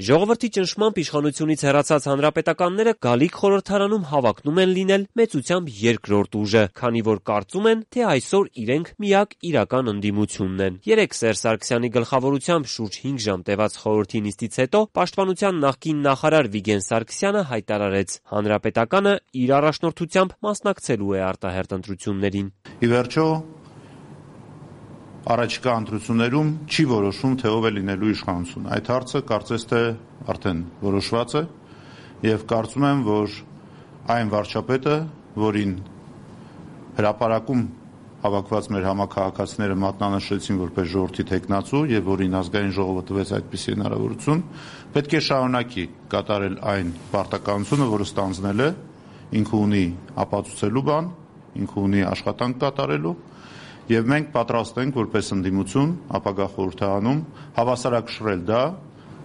Ժողովրդի ճնշմամբ իշխանությունից հեռացած հանրապետականները գալիք խորհրդարանում հավակնում են լինել մեծությամբ երկրորդ ուժը, քանի որ կարծում են, թե այսօր իրենք միակ իրական ընդդիմությունն են։ Երեկ Սերժ Սարգսյանի գլխավորությամբ շուրջ 5 ժամ տևած խորհրդի նիստից հետո Պաշտպանության նախկին նախարար Վիգեն Սարգսյանը հայտարարեց՝ հանրապետականը իր առաջնորդությամբ մասնակցելու է արտահերթ ընտրություններին։ Ի վերջո, առաջիկա ընտրություններում չի որոշում, թե ով է լինելու իշխանություն։ Այդ հարցը կարծես թե արդեն որոշված է եւ կարծում եմ, որ այն վարչապետը, որին հրապարակում հավաքված մեր համաքաղաքացիները մատնանշեցին որպես ժողովրդի թեկնածու եւ որին ազգային ժողովը տվեց այդպիսի հնարավորություն, պետք է շարունակի կատարել այն պարտականությունը, որը ստանձնել է, ինքը ունի ապացուցելու բան, ինքը ունի աշխատանք կատարելու եւ մենք պատրաստ ենք որպես ընդդիմություն ապագա խորհրդարանում հավասարակշռել դա։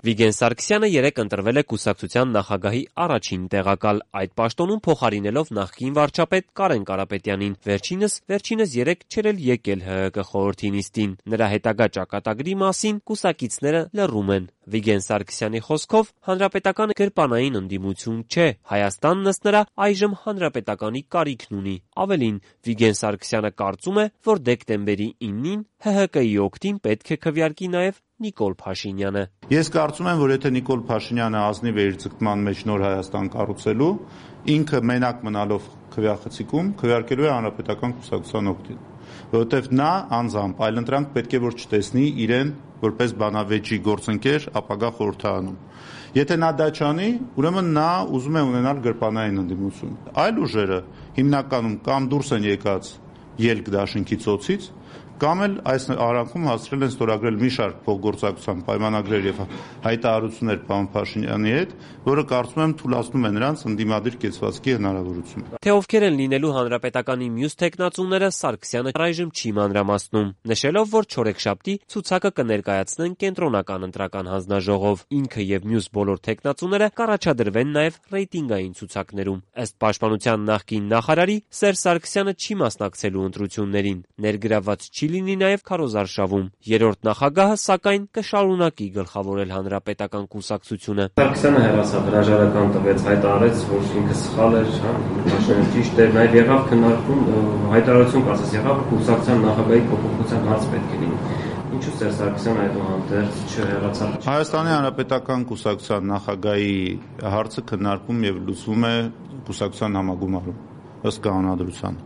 Վիգեն Սարգսյանը երեկ ընտրվել է կուսակցության նախագահի առաջին տեղակալ, այդ պաշտոնում փոխարինելով նախկին վարչապետ Կարեն Կարապետյանին։ Վերջինս երեկ չէր էլ եկել ՀՀԿ խորհրդի նիստին։ Նրա հետագա ճակատագրի մասին կուսակիցները լռում են։ Վիգեն Սարգսյանի խոսքով հանրապետականը գրպանային ընդդիմություն չէ։ Հայաստանն ըստ նրա այժմ հանրապետականի կարիքն ունի։ Ավելին, Վիգեն Սարգսյանը կարծում է, որ դեկտեմբերի 9-ին ՀՀԿ-ի օգտին պետք է քվեարկի նաև Նիկոլ Փաշինյանը։ Ես կարծում եմ, որ եթե Նիկոլ Փաշինյանը ազնիվ է իր ձգտման մեջ նոր Հայաստան կառուցելու, ինքը մենակ մնալով քվեախցիկում քվեարկելու է հանրապետական կուսակցության օգտին, որովհետև նա անձամբ այլընտրանք պետք է որ չտեսնի իրեն որպես բանավեճի գործընկեր ապագա խորհրդարանում։ Եթե նա դա չանի, ուրեմն նա ուզում է ունենալ գրպանային ընդդիմություն։ Այլ ուժերը հիմնականում կամ դուրս են եկած ելք դաշինքի ծոցից, կամ էլ այս արանքում հասցրել են ստորագրել մի շարք փոխգործակցության պայմանագրեր եւ հայտարարություններ պարոն Փաշինյանի հետ, որը կարծում եմ թույլատնում է նրանց ընդդիմադիր կեցվածքի հնարավորություն։ Թե ովքեր են լինելու հանրապետականի մյուս թեկնածուները, Սարգսյանը այժմ չի մանրամասնում, նշելով, որ չորեքշաբթի ցուցակը կներկայացնեն կենտրոնական ընտրական հանձնաժողով։ Ինքը եւ մյուս բոլոր թեկնածուները կառաջադրվեն նաեւ ռեյտինգային ցուցակներում։ Ըստ Պաշտպանության նախկին նախարարի, Սերժ Սարգսյանը չի մասնակցելու ընտրություններին։ Ներգրավված չի լինի նաև քարոզարշավում։ Երրորդ նախագահը, սակայն, կշարունակի գլխավորել հանրապետական կուսակցությունը։ Սարգսյանը հեռացավ, հրաժարական տվեց, հայտարարեց, որ ինքը սխալ էր, Փաշինյանը ճիշտ էր, նաև եղավ քննարկում, հայտարարություն կարծես եղավ, կուսակցության նախագահի փոփոխության հարց պետք է լինի։ Ինչու Սերժ Սարգսյանը այդուհանդերձ չհեռացավ։ Հայաստանի հանրապետական կուսակցության նախագահի հարցը քննարկում եւ լուծվում է կուսակցության համագումարում ըստ կանոնադրության։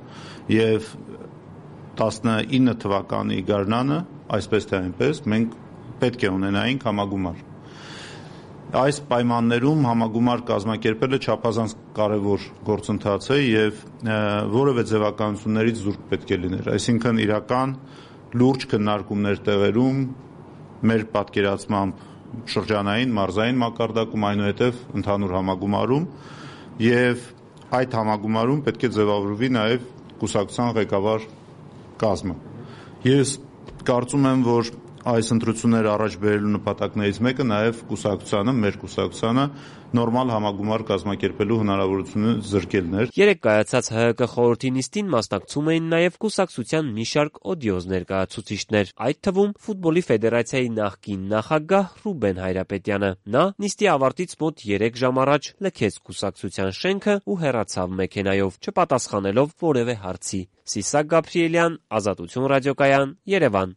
Եվ 19 թվականի գարնանը, այսպես թե այնպես, մենք պետք է ունենայինք համագումար։ Այս պայմաններում համագումար կազմակերպելը չափազանց կարևոր գործընթաց է եւ որևէ ձևականություններից զուրկ պետք է լիներ։ Այսինքն իրական լուրջ քննարկումներ տեղերում մեր պատկերացմամբ շրջանային, մարզային մակարդակում, այնուհետև ընդհանուր համագումարում եւ այդ համագումարում պետք է ձևավորվի նաեւ կուսակցության ղեկավար կազմը։ Ես կարծում եմ, որ այս ընտրությունները առաջ բերելու նպատակներից մեկը նաև կուսակցությանը, մեր կուսակցությանը նորմալ համագումար կազմակերպելու հնարավորությունը զրկելն էր։ Երեկ կայացած ՀՀԿ խորհրդի նիստին մասնակցում էին նաև կուսակցության մի շարք օդիոզ ներկայացուցիչներ, այդ թվում ֆուտբոլի ֆեդերացիայի նախկին նախագահ Ռուբեն Հայրապետյանը։ Նա նիստի ավարտից մոտ 3 ժամ առաջ լքեց կուսակցության շենքը ու հեռացավ մեքենայով, չպատասխանելով որևէ հարցի։ Սիսակ Գաբրիելյան, Ազատություն ռադիոկայան, Երևան։